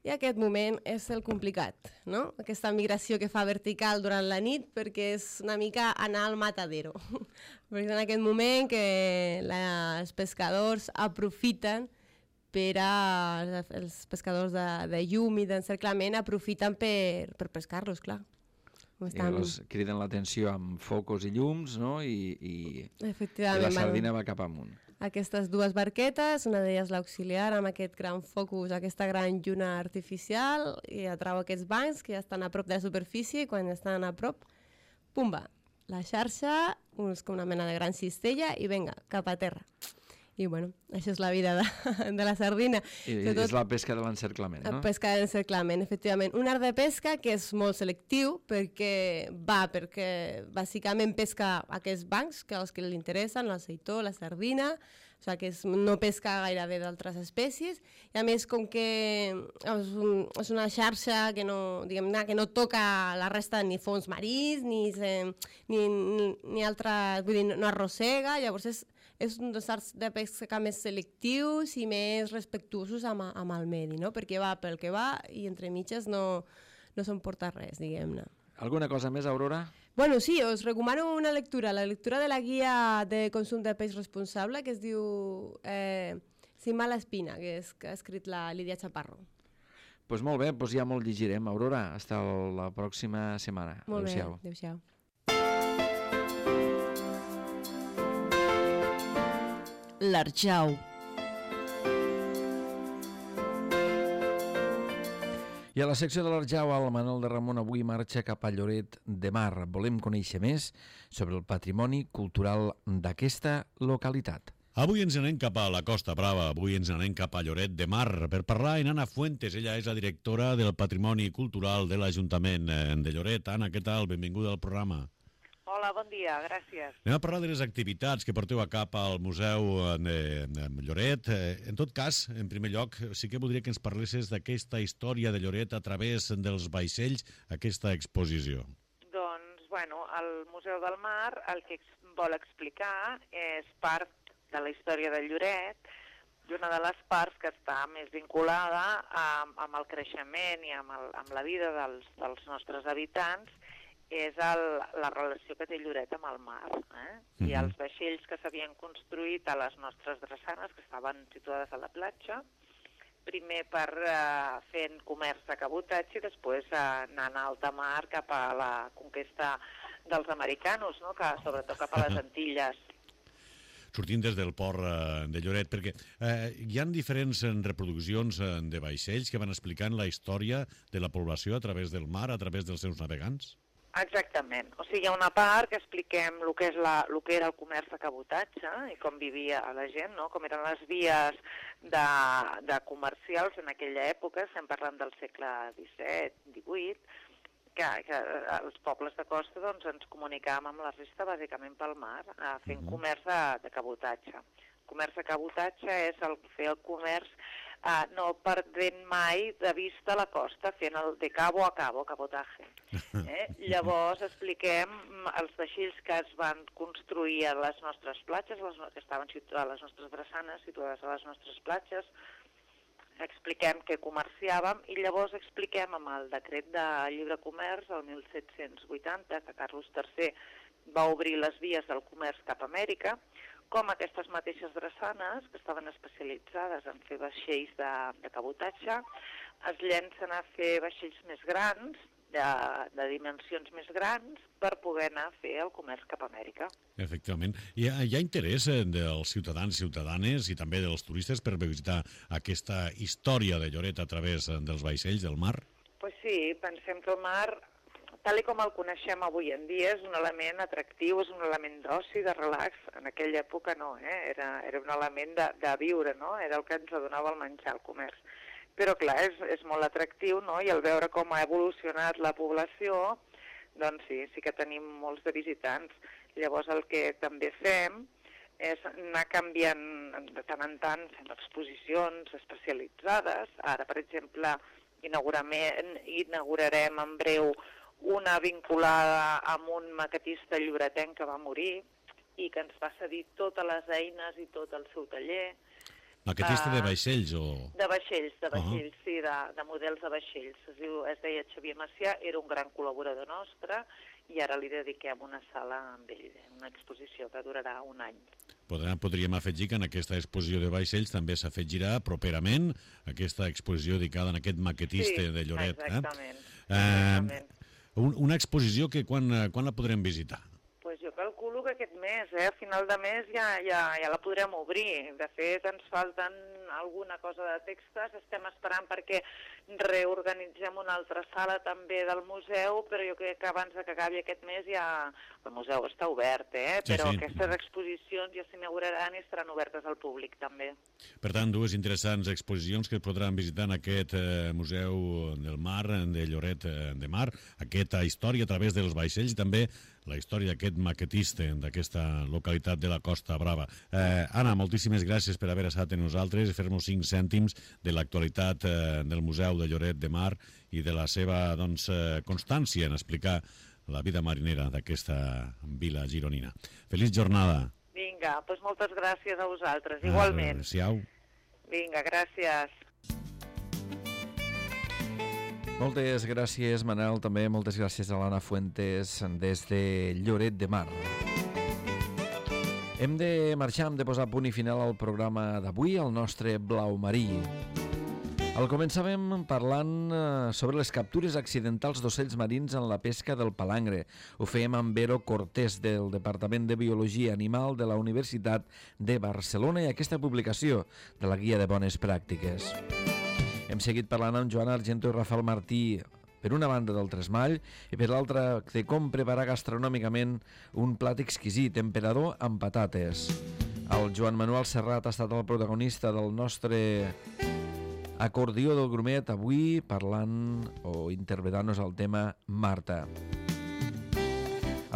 I aquest moment és el complicat, no? Aquesta migració que fa vertical durant la nit perquè és una mica anar al matadero. Perquè és en aquest moment que la, els pescadors aprofiten per a, els pescadors de, de llum i d'encerclament aprofiten per, per pescar-los, clar. Estan... I els criden l'atenció amb focus i llums, no? I, i, i la sardina va cap amunt. Aquestes dues barquetes, una d'elles l'auxiliar amb aquest gran focus, aquesta gran lluna artificial, i atrau aquests bancs que ja estan a prop de la superfície i quan estan a prop, pumba, la xarxa, és com una mena de gran cistella i vinga, cap a terra. I bueno, això és la vida de, de la sardina. I Sobretot, és la pesca de l'encerclament, no? La pesca de l'encerclament, efectivament. Un art de pesca que és molt selectiu perquè va, perquè bàsicament pesca aquests bancs, que els que li interessen, el seitó, la sardina, o sigui que és, no pesca gairebé d'altres espècies, i a més com que és, un, és una xarxa que no, diguem-ne, que no toca la resta ni fons marins, ni, ni, ni, ni altra, vull dir, no arrossega, llavors és és un dels arts de pesca més selectius i més respectuosos amb, amb el medi, no? Perquè va pel que va i entre mitges no, no s'emporta res, diguem-ne. Alguna cosa més, Aurora? Bueno, sí, us recomano una lectura, la lectura de la guia de consum de peix responsable que es diu eh, Sin mala espina, que, és, que ha escrit la Lídia Chaparro. Doncs pues molt bé, pues ja molt llegirem, Aurora. Hasta la pròxima setmana. Molt bé, adéu-siau. L'Arjau. I a la secció de l'Arjau, el Manel de Ramon avui marxa cap a Lloret de Mar. Volem conèixer més sobre el patrimoni cultural d'aquesta localitat. Avui ens anem cap a la Costa Brava, avui ens anem cap a Lloret de Mar per parlar amb Anna Fuentes. Ella és la directora del Patrimoni Cultural de l'Ajuntament de Lloret. Anna, què tal? Benvinguda al programa. Hola, bon dia, gràcies. Anem a parlar de les activitats que porteu a cap al Museu de Lloret. En tot cas, en primer lloc, sí que voldria que ens parlessis d'aquesta història de Lloret a través dels vaixells, aquesta exposició. Doncs, bueno, el Museu del Mar el que vol explicar és part de la història de Lloret i una de les parts que està més vinculada amb, amb el creixement i amb, el, amb la vida dels, dels nostres habitants és el, la relació que té Lloret amb el mar. Eh? Mm-hmm. I els vaixells que s'havien construït a les nostres drassanes, que estaven situades a la platja, primer per eh, fent comerç de cabotatge i després eh, anant a alta mar cap a la conquesta dels americanos, no? Que, sobretot cap a les Antilles. Sortint des del port eh, de Lloret, perquè eh, hi ha diferents reproduccions eh, de vaixells que van explicant la història de la població a través del mar, a través dels seus navegants? Exactament. O sigui, hi ha una part que expliquem el que, és la, el que era el comerç de cabotatge i com vivia la gent, no? Com eren les vies de, de comercials en aquella època, estem parlant del segle disset, divuit, que, que els pobles de costa doncs, ens comunicàvem amb la resta bàsicament pel mar, eh, fent comerç de, de cabotatge. El comerç de cabotatge és el, fer el comerç uh, no perdent mai de vista la costa, fent el de cabo a cabo, cabotaje. Eh? Llavors expliquem els vaixells que es van construir a les nostres platges, les, que estaven situades a les nostres drassanes, situades a les nostres platges, expliquem què comerciàvem i llavors expliquem amb el decret de lliure comerç el mil set-cents vuitanta, que Carlos tercer va obrir les vies del comerç cap a Amèrica, com aquestes mateixes drassanes, que estaven especialitzades en fer vaixells de, de cabotatge, es llencen a fer vaixells més grans, de, de dimensions més grans, per poder anar a fer el comerç cap a Amèrica. Efectivament. Hi ha, hi ha interès dels ciutadans i ciutadanes i també dels turistes per visitar aquesta història de Lloret a través dels vaixells del mar? Pues sí, pensem que el mar, tal com el coneixem avui en dia, és un element atractiu, és un element d'oci, de relax. En aquella època no, eh? era, era un element de, de viure, no? Era el que ens donava el menjar, el comerç. Però clar, és, és molt atractiu, no? I al veure com ha evolucionat la població, doncs sí, sí que tenim molts de visitants. Llavors el que també fem és anar canviant de tant en tant, fent exposicions especialitzades. Ara, per exemple, inaugurarem en breu una vinculada amb un maquetista lloretenc que va morir i que ens va cedir totes les eines i tot el seu taller. Maquetista de vaixells o...? De vaixells, de vaixells, uh -huh. sí, de, de models de vaixells. Es, diu, es deia Xavier Macià, era un gran col·laborador nostre i ara li dediquem una sala amb ell, una exposició que durarà un any. Podrà, podríem afegir que en aquesta exposició de vaixells també s'afegirà properament aquesta exposició dedicada a aquest maquetista sí, de Lloret. Exactament. Eh? exactament. Eh, un, una exposició que quan, quan la podrem visitar? Pues jo calculo que aquest mes, eh? A final de mes ja, ja, ja la podrem obrir. De fet, ens falten alguna cosa de textes, estem esperant perquè reorganitzem una altra sala també del museu, però jo crec que abans que acabi aquest mes ja... El museu està obert, eh? Sí, però sí. aquestes exposicions ja s'inauguraran i estaran obertes al públic també. Per tant, dues interessants exposicions que es podran visitar en aquest eh, Museu del Mar, de Lloret de Mar, aquesta història a través dels vaixells i també la història d'aquest maquetista d'aquesta localitat de la Costa Brava. Eh, Anna, moltíssimes gràcies per haver estat amb nosaltres i fer-nos cinc cèntims de l'actualitat eh, del Museu de Lloret de Mar i de la seva doncs, eh, constància en explicar la vida marinera d'aquesta vila gironina. Feliç jornada. Vinga, doncs moltes gràcies a vosaltres, igualment. Adéu-siau. Vinga, gràcies. Moltes gràcies, Manel, també moltes gràcies a l'Anna Fuentes des de Lloret de Mar. Hem de marxar, hem de posar punt i final al programa d'avui, el nostre Blau Marí. Al començàvem parlant sobre les captures accidentals d'ocells marins en la pesca del palangre. Ho fèiem amb Vero Cortés, del Departament de Biologia Animal de la Universitat de Barcelona, i aquesta publicació de la Guia de Bones Pràctiques. Hem seguit parlant amb Joan Argento i Rafael Martí, per una banda del tresmall i per l'altra de com preparar gastronòmicament un plat exquisit, emperador amb patates. El Joan Manuel Serrat ha estat el protagonista del nostre acordió del grumet, avui parlant o interpretant-nos el tema Marta.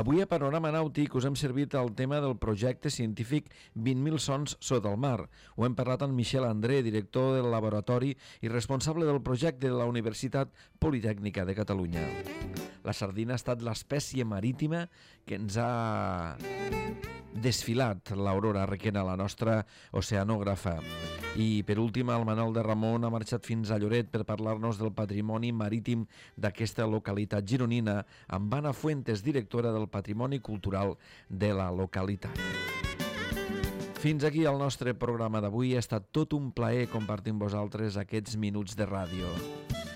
Avui a Panorama Nàutic us hem servit el tema del projecte científic vint mil sons sota el mar. Ho hem parlat amb Michel André, director del laboratori i responsable del projecte de la Universitat Politècnica de Catalunya. La sardina ha estat l'espècie marítima que ens ha desfilat l'Aurora Requena, la nostra oceanògrafa. I per últim, el Manol de Ramon ha marxat fins a Lloret per parlar-nos del patrimoni marítim d'aquesta localitat gironina amb Anna Fuentes, directora del Patrimoni Cultural de la localitat. Fins aquí el nostre programa d'avui. Ha estat tot un plaer compartir amb vosaltres aquests minuts de ràdio.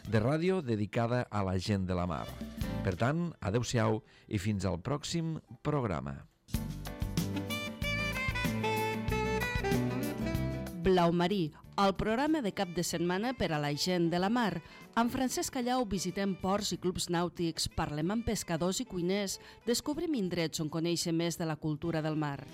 De ràdio dedicada a la gent de la mar. Per tant, adeu-siau i fins al pròxim programa. Blau Marí, el programa de cap de setmana per a la gent de la mar. Amb Francesc Callau visitem ports i clubs nàutics, parlem amb pescadors i cuiners, descobrim indrets on conèixer més de la cultura del mar.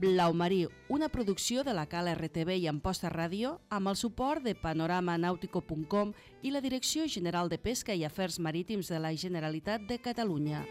Blau Marí, una producció de la Cal R T V i Amposta Ràdio, amb el suport de panorama nàutico punt com i la Direcció General de Pesca i Afers Marítims de la Generalitat de Catalunya.